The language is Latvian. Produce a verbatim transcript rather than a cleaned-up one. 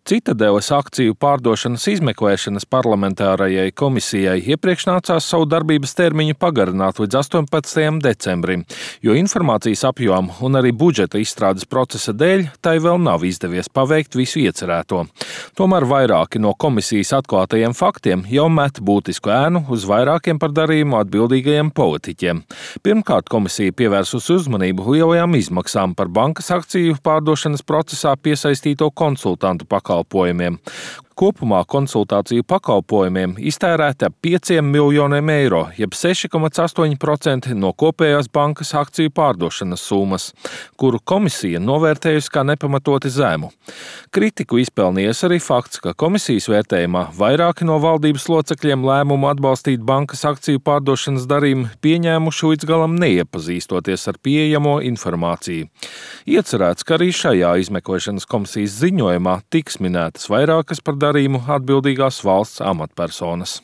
Citadeles akciju pārdošanas izmeklēšanas parlamentārajai komisijai iepriekš nācās savu darbības termiņu pagarināt līdz astoņpadsmitajam decembrim, jo informācijas apjoma un arī budžeta izstrādes procesa dēļ tai vēl nav izdevies paveikt visu iecerēto. Tomēr vairāki no komisijas atklātajiem faktiem jau met būtisku ēnu uz vairākiem par darījumu atbildīgajiem politiķiem. Pirmkārt, komisija pievērsusi uzmanību lielajām izmaksām par bankas akciju pārdošanas procesā piesaistīto konsultantu pakalpojumu. Kopumā konsultāciju pakalpojumiem iztērēta ap pieciem miljoniem eiro, jeb seši komats astoņi procenti no kopējās bankas akciju pārdošanas summas, kuru komisija novērtējusi kā nepamatoti zemu. Kritiku izpelnījies arī fakts, ka komisijas vērtējumā vairāki no valdības locekļiem lēmumu atbalstīt bankas akciju pārdošanas darījumu pieņēmuši līdz galam neiepazīstoties ar pieejamo informāciju. Iecerēts, ka arī šajā izmeklēšanas komisijas ziņojumā tiks minētas vairākas par darījumu atbildīgās valsts amatpersonas.